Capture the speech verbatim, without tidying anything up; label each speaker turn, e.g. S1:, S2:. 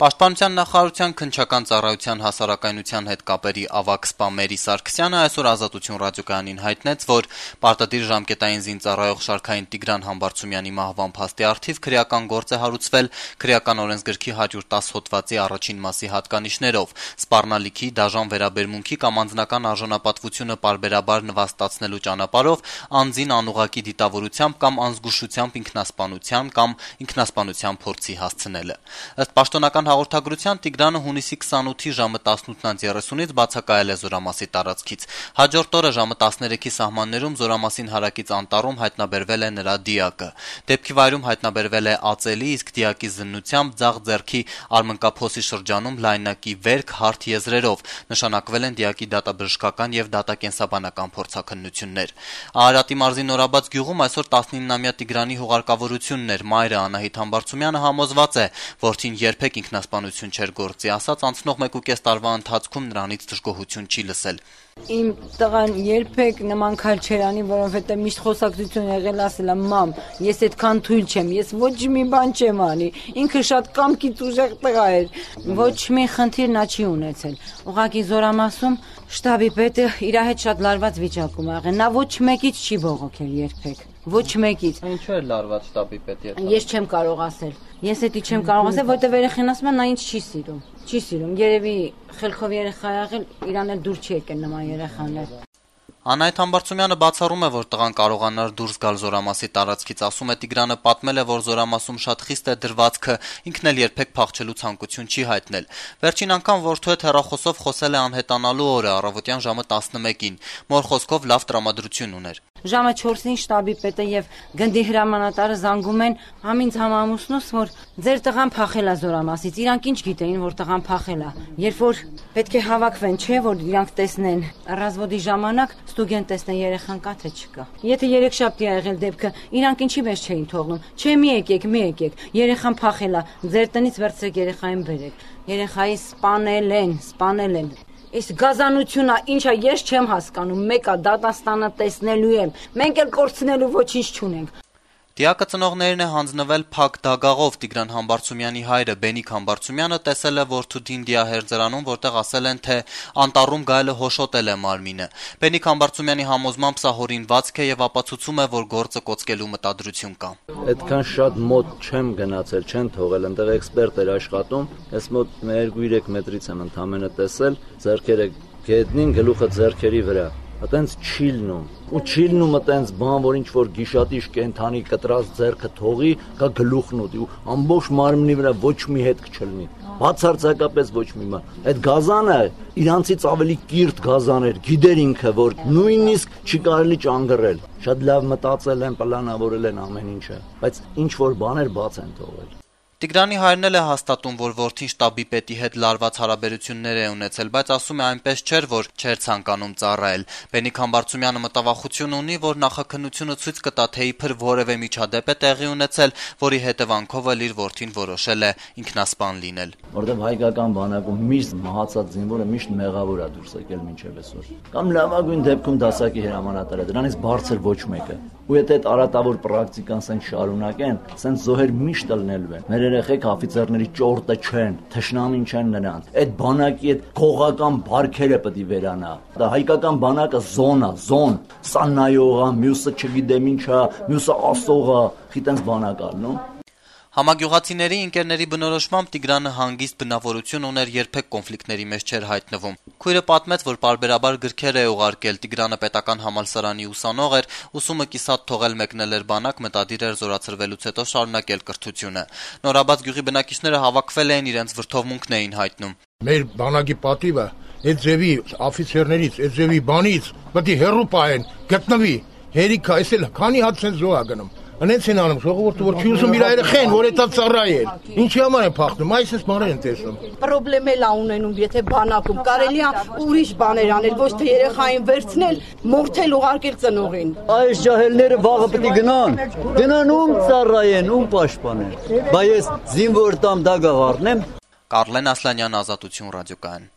S1: Պաշտպանության նախարարության քննչական ծառայության հասարակայնության հետ կապերի ավագ սպա Մերի Սարգսյանը այսօր Ազատություն ռադիոկայանին հայտնեց, որ պարտադիր ժամկետային զինծառայող շարքային Տիգրան Համբարձումյանի մահվան փաստի առթիվ քրեական գործ է հարուցվել քրեական օրենսգրքի հարյուր տասը հոդվածի առաջին մասի հատկանիշներով, սպառնալիքի, դաժան վերաբերմունքի կամ անձնական արժանապատվությունը պարբերաբար նվաստացնելու ճանապարհով անձին անուղղակի դիտավորությամբ կամ անզգուշությամբ ինքնասպանության կամ ինքնասպանության փորձի հասցնելը։ Ըստ պաշտոնական հաղորդագրության Տիգրանը հունիսի քսանութի ժամը տասնութ երեսունից բացակայել է Զորամասի տարածքից։ Հաջորդ օրը ժամը տասներեքի սահմաններում Զորամասին հարակից անտառում հայտնաբերվել է նրա դիակը։ Դեպքի վայրում հայտնաբերվել է ածելի, իսկ դիակի զննությամբ ձախ ձեռքի արմնկափոսի շրջանում լայնակի վերք հարթ եզրերով նշանակվել են դիակի դատաբժշկական եւ դատակենսաբանական փորձաքննություններ։ Արարատի մարզի Նորաբաց գյուղում այսօր տասնիննամյա Տիգրանի հուղարկավորությունն էր։ Մայրը Անահիտ Համբարձումյանը համոզված է, որդին երբեք ինքնասպանություն չէր գործի, ասած անցնող մեկուկես տարվա ընթացքում նրանից դժգոհություն չի լսել։
S2: Իմ տղան երբեք նման քայլ չէր անի, որովհետեւ միշտ խոսակցություն եղել ասել է՝ մամ, ես այդքան թույլ չեմ, ես ոչ մի բան չեմ անի։ Ինքը շատ կամքից ուժեղ տղա էր, ոչ մի խնդիր նա չի ունեցել։ Ուղղակի Զորամասում շտաբի պետը իր հետ շատ լարված վիճակում ա եղել, նա ոչ մեկից չի բողոքել երբեք։ Ոչ մեկից։
S1: Ինչու է լարված շտաբի պետի հետ։
S2: Ես չեմ կարող ասել։ Ես էդի չեմ կարող ասել, որտեղ երեխան ասում է նա ինձ չի սիրում։ Չի սիրում։ Երևի խելքով երեխա եղել, իրան էլ դուր չի եկել նման երեխաներ։
S1: Անահիտ Համբարձումյանը բացառում է, որ տղան կարողանար դուրս գալ Զորամասի տարածքից, ասում է Տիգրանը պատմել է, որ Զորամասում շատ խիստ է դրվածքը, ինքն էլ երբեք փախչելու ցանկություն չի հայտնել։ Վերջին անգամ որդու հետ հեռախոսով խոսել է անհետանալու օրը, առավոտյան ժամը տասնմեկին։ Մոր խոսքով լավ տրամադրություն ուներ։
S2: Ժամը չորսին շտաբի պետը եւ գնդի հրամանատարը զանգում են համինց համամուսնուս, որ ձեր տղան փախել է Զորամասից։ Իրանք ինչ գիտեին, որ տղան փախել է։ Երբ որ պետք է հավաքվեն, չէ, որ իրանք տեսնեն ռազվոդի ժամանակ ստուգեն տեսնեն երեխան կա թե չկա։ Եթե երեքշաբթի ա եղել դեպքը, իրանք ինչի մեջ չէին թողնում։ Չէ, մի եկեք, մի եկեք։ Երեխան փախել է, ձեր տնից վերցրեք երեխային բերեք։ Երեխայի սպանել են, սպանել են։ Այս գազանությունա ինչա ես չեմ հասկանում, մեկը դատաստանը տեսնելու եմ, մենք էլ կորցնելու ոչինչ չունենք։
S1: Դիակը ծնողներին է հանձնվել փակ դագաղով։ Տիգրան Համբարձումյանի հայրը Բենիկ Համբարձումյանը տեսել է որդու Դինդիա հերձարանում, որտեղ ասել են, թե անտառում գայելը հոշոտել է մարմինը։ Բենիկ Համբարձումյանի համոզմամբ սա հորինվածք է եւ ապացուցում է, որ գործը կոծկելու մտադրություն կա։
S3: Այդքան շատ մոտ չեմ գնացել, չեն թողել, այնտեղ էքսպերտ էր աշխատում, ես մոտ երկու երեք մետրից եմ ընդամենը տեսել, ձեռքերը գետնին, գլուխը ձեռքերի վրա։ Այտենց չի լնում։ Ու չի լնում այտենց բան, որ ինչ որ գիշատիչ կենթանի կտրած ձեռքը թողի, կա գլուխն ուտի ու ամբողջ մարմնի վրա ոչ մի հետք չլինի։ Բացարձակապես ոչ մի բան։ Այդ գազանը իրանցից ավելի կիրթ գազան էր, գիտեր ինքը, որ նույնիսկ չի կարելի ճանգռել։ Շատ լավ մտածել են, պլանավորել են ամեն ինչը, բայց ինչ որ բաներ բաց են թողել։
S1: Տիգրանի հայրն էլ է հաստատում, որ որդին շտաբի պետի հետ լարված հարաբերություններ է ունեցել, բայց ասում է այնպես չէր, որ չէր ցանկանում ծառայել։ Բենիկ Համբարձումյանը մտավախություն ունի, որ նախաքննությունը ցույց կտա, թե իբր որևէ միջադեպ է տեղի ունեցել, որի հետևանքով էլ իր որդին որոշել է ինքնասպան լինել։
S3: Որտեղ հայկական բանակում միշտ մահացած զինվորը միշտ մեղավոր է դուրս եկել մինչև այսօր։ Կամ լավագույն դեպքում դասակի հրամանատարը, դրանից բարձր ոչ մեկը։ Ու եթե այդ արատավոր պրակտիկան սենց շարունակեն, սենց զոհեր միշտ լնելու են։ Մեր երեխեք օֆիցերների ճորտը չեն, թշնամին չեն նրանց։ Այդ բանակի այդ գողական բարքերը պետք է վերանա։ Դա հայկական բանակը զոն է, զոն։ Սա նայողա, մյուսը չգիտեմ ինչա, մյուսը ասողա, խիտենց բանակ ալնում։
S1: Համագյուղացիների ընկերների բնորոշմամբ Տիգրանը հանգիստ բնավորություն ուներ, երբեք կոնֆլիկտների մեջ չէր հայտնվում։ Քույրը պատմեց, որ պարբերաբար գրքեր է ուղարկել, Տիգրանը պետական համալսարանի ուսանող էր, ուսումը կիսատ թողել մեկնել էր բանակ, մտադիր էր զորացրվելուց հետո շարունակել կրթությունը։ Նորաբաց գյուղի բնակիչները հավաքվել էին, իրենց վրդովմունքն էին հայտնում։
S4: Մեր բանակի պատիվը այդ ձևի օֆիցերներից, այդ ձևի բանից պետք է հեռու պահեն, գտնվի։ Հերիքա, այսել քանի հատ ցեն զոհ ա գնում։ Անենց են անում, ժողովուրդը որ չի ուզում իր երեխեն, որ էտա ծառայել։ Ինչի համար են փախնում, այսպես բաներ են տեսնում։
S5: Պրոբլեմ էլ ա ունենում, եթե բանակում կարելի է ուրիշ բաներ անել, ոչ թե երեխային վերցնել, մորթել ուղարկել ծնողին։
S6: Այս ջահելները վաղը պետք է գնան, գնան ում ծառայեն, ում պաշտպանեն։ Բայց ես զինվոր տամ դագաղ առնեմ։
S1: Կարլեն Ասլանյան, Ազատություն ռադիոկայան։